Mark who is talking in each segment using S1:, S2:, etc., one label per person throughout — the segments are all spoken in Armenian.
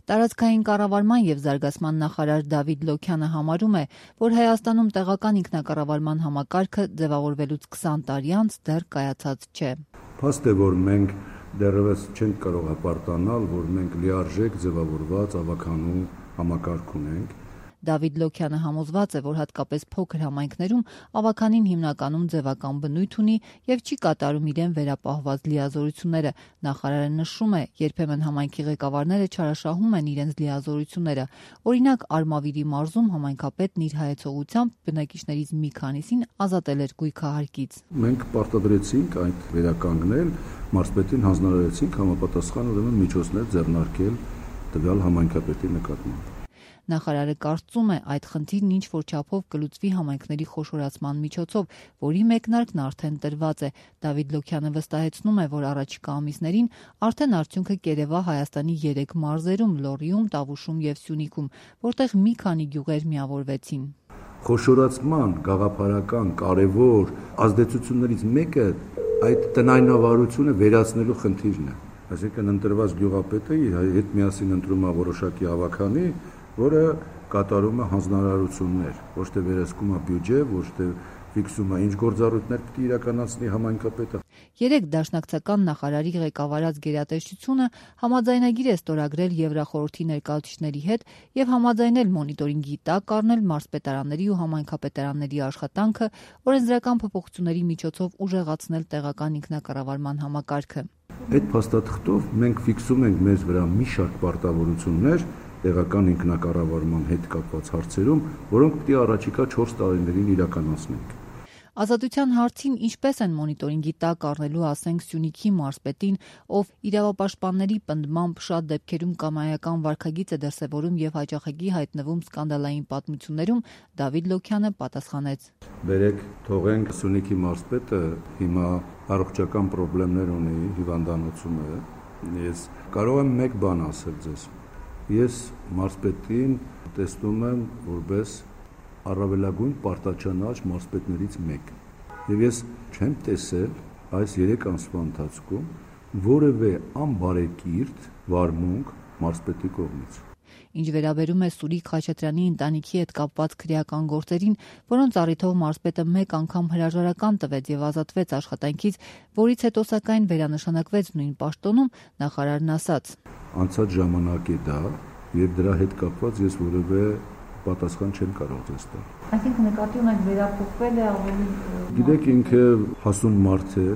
S1: Տարածքային կառավարման եւ զարգացման նախարար Դավիթ Լոքյանը համարում է, որ Հայաստանում տեղական ինքնակառավարման համակարգը ձևավորվելուց 20 տարի անց դեռ կայացած չէ։
S2: Փաստ է, որ մենք դեռևս չենք կարող հպարտանալ, որ մենք լիարժեք ձևավորված ավականու համակարգ ունենք։
S1: Դավիթ Լոքյանը համոզված է, որ հատկապես փոքր համայնքներում ավականին հիմնականում ձևական բնույթ ունի եւ չի կատարում իրեն վերապահված լիազորությունները։ Նախարարը նշում է, երբեմն համայնքի ղեկավարները չարաշահում են իրենց լիազորությունները։ Օրինակ, Արմավիրի մարզում համայնքապետն իր հայեցողությամբ բնակիչներից մի քանիսին ազատել էր գույքահարկից։
S2: Մենք պարտադրեցինք այդ վերականգնել, մարզպետին հանձնարարեցինք համապատասխան ուրեմն միջոցներ ձեռնարկել տվյալ համայնքապետի նկատմամբ։
S1: Նախարարը կարծում է, այդ խնդիրն ինչ-որ չափով կլուծվի համայնքների խոշորացման միջոցով, որի մեկնարկն արդեն տրված է։ Դավիթ Լոքյանը վստահեցնում է, որ առաջիկա ամիսներին արդեն արդյունքը կերևա Հայաստանի 3 մարզերում՝ Լոռիում, Տավուշում եւ Սյունիքում, որտեղ մի քանի գյուղեր միավորվեցին։
S2: Խոշորացման գաղափարական կարևոր ազդեցություններից մեկը այդ տնայնավարությունը վերացնելու խնդիրն է։ Այսինքն ընտրված գյուղապետը իր հետ միասին ընտրում է որոշակի ավականի, որը կատարում է հանձնարարություններ, ոչ թե վերահսկում է բյուջե, ոչ թե ֆիքսում է ինչ գործառույթներ պետք է իրականացնի համայնքապետը։
S1: 3 դաշնակցական նախարարի ղեկավարած գերատեսչությունը համաձայնագիր է ստորագրել Եվրախորհրդի ներկայացուցիչների հետ եւ համաձայնել մոնիտորինգի տակ առնել մարզպետարանների ու համայնքապետարանների աշխատանքը, օրենսդրական փոփոխությունների միջոցով ուժեղացնել տեղական ինքնակառավարման համակարգը։
S2: Այդ փաստաթղթով մենք ֆիքսում ենք մեզ վրա մի շարք պարտավորություններ տեղական ինքնակառավարման հետ կապված հարցերում, որոնք պետք է առաջիկա 4 տարիներին իրականացնենք։
S1: Ազատության հարցին ինչպես են մոնիտորինգի տակ առնելու, ասենք, Սյունիքի մարզպետին, ով իրավապաշտպանների պնդմամբ շատ դեպքերում կամայական վարքագիծ է դրսևորում եւ հաճախակի հայտնվում սկանդալային պատմություններում, Դավիթ Լոքյանը պատասխանեց.
S2: Բերեք, թողենք Սյունիքի մարզպետը հիմա առողջական խնդիրներ ունի, հիվանդանոցում է։ Ես կարող եմ մեկ բան ասել ձեզ։ Ես մարզպետին տեսնում եմ որպես առավելագույն պարտաճանաչ մարզպետներից մեկը։ Եվ ես չեմ տեսել այս 3 ամսվա ընթացքում որևէ անբարեկիրթ վարմունք մարզպետի կողմից։
S1: Ինչ վերաբերում է Սուրիկ Խաչատրյանի ընտանիքի հետ կապված քրեական գործերին, որոնց առիթով մարզպետը մեկ անգամ հրաժարական տվեց եւ ազատվեց աշխատանքից, որից հետո սակայն վերանշանակվեց նույն պաշտոնում, նախարարն ասաց.
S2: Անցած ժամանակ է դա, եւ դրա հետ կապված ես որևէ պատասխան չեմ կարող ձեզ տալ։
S1: Այսինքն նկատի ունեք վերափոխվել է ավելի։
S2: Գիտեք, ինքը հասուն մարդ է։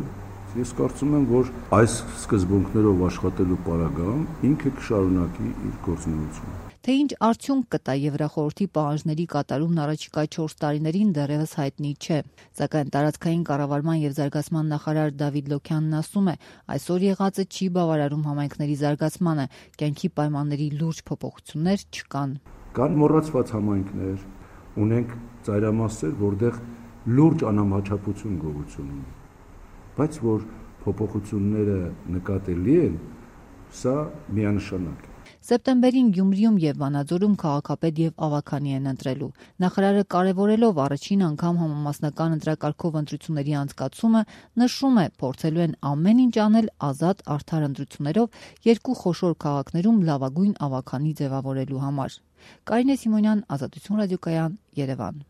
S2: Ես կարծում եմ, որ այս սկզբունքներով աշխատելու պարագայում ինքը կշարունակի իր գործունեությունը։
S1: Թե ինչ արդյունք կտա Եվրախորհրդի պահանջների կատարումն առաջիկա 4 տարիներին դեռևս հայտնի չէ։ Սակայն տարածքային կառավարման եւ զարգացման նախարար Դավիթ Լոքյանն ասում է, այսօր եղածը չի բավարարում համայնքների զարգացմանը, կյանքի պայմանների լուրջ փոփոխություններ չկան։
S2: Կան մոռացված համայնքներ, ունենք ծայրամասեր, որտեղ լուրջ անհամաչափություն գոյություն ունի։ Բայց որ փոփոխությունները նկատելի են, սա միանշանակ է։
S1: Սեպտեմբերին Գյումրիում եւ Վանաձորում քաղաքապետ եւ ավականի են ընտրելու։ Նախարարը կարևորելով առաջին անգամ համամասնական ընտրակարգով ընտրությունների անցկացումը, նշում է, փորձելու են ամեն ինչ անել ազատ արդար ընտրություններով 2 խոշոր քաղաքներում լավագույն ավականի ձևավորելու համար։ Կարինե Սիմոնյան, Ազատություն ռադիոկայան, Երևան։